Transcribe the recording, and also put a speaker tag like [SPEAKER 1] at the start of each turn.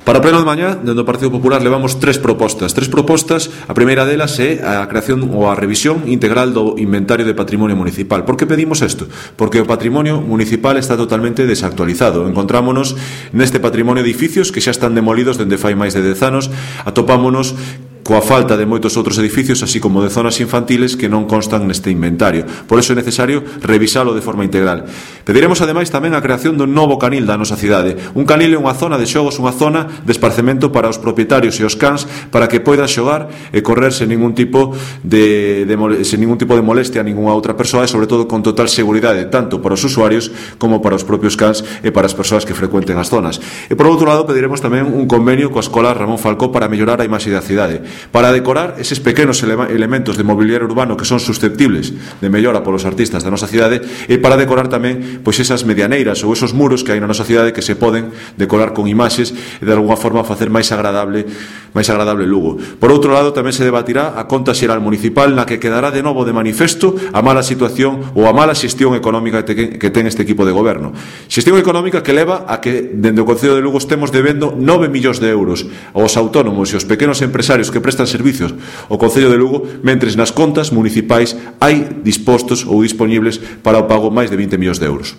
[SPEAKER 1] Para o pleno de mañá, dentro do Partido Popular levamos tres propostas. A primeira delas é a creación ou a revisión integral do inventario de patrimonio municipal. Por que pedimos isto? Porque o patrimonio municipal está totalmente desactualizado. Encontrámonos neste patrimonio de edificios que xa están demolidos dende fai máis de 10 anos. Atopámonos coa falta de moitos outros edificios, así como de zonas infantiles que non constan neste inventario. Por iso é necesario revisalo de forma integral. Pediremos ademais tamén a creación dun novo canil da nosa cidade. Un canil é unha zona de xogos, unha zona de esparcemento para os propietarios e os cans, para que poidan xogar e correr sen ningún tipo de molestia a ningunha outra persoa, e sobre todo con total seguridade, tanto para os usuarios como para os propios cans e para as persoas que frecuenten as zonas. E por outro lado, pediremos tamén un convenio coa Escola Ramón Falcó para mellorar a imaxe da cidade, para decorar eses pequenos elementos de mobiliario urbano que son susceptibles de mellora polos artistas da nosa cidade, e para decorar tamén pois esas medianeiras ou esos muros que hai na nosa cidade que se poden decorar con imaxes e de alguna forma facer máis agradable Lugo. Por outro lado, tamén se debatirá a conta xeral municipal, na que quedará de novo de manifesto a mala situación ou a mala xestión económica que ten este equipo de goberno. Xestión económica que leva a que dende o Concello de Lugo estemos debendo 9 millóns de euros aos autónomos e aos pequenos empresarios que prestan servicios ao Concello de Lugo, mentres nas contas municipais hai dispostos ou disponibles para o pago máis de 20 millóns de euros.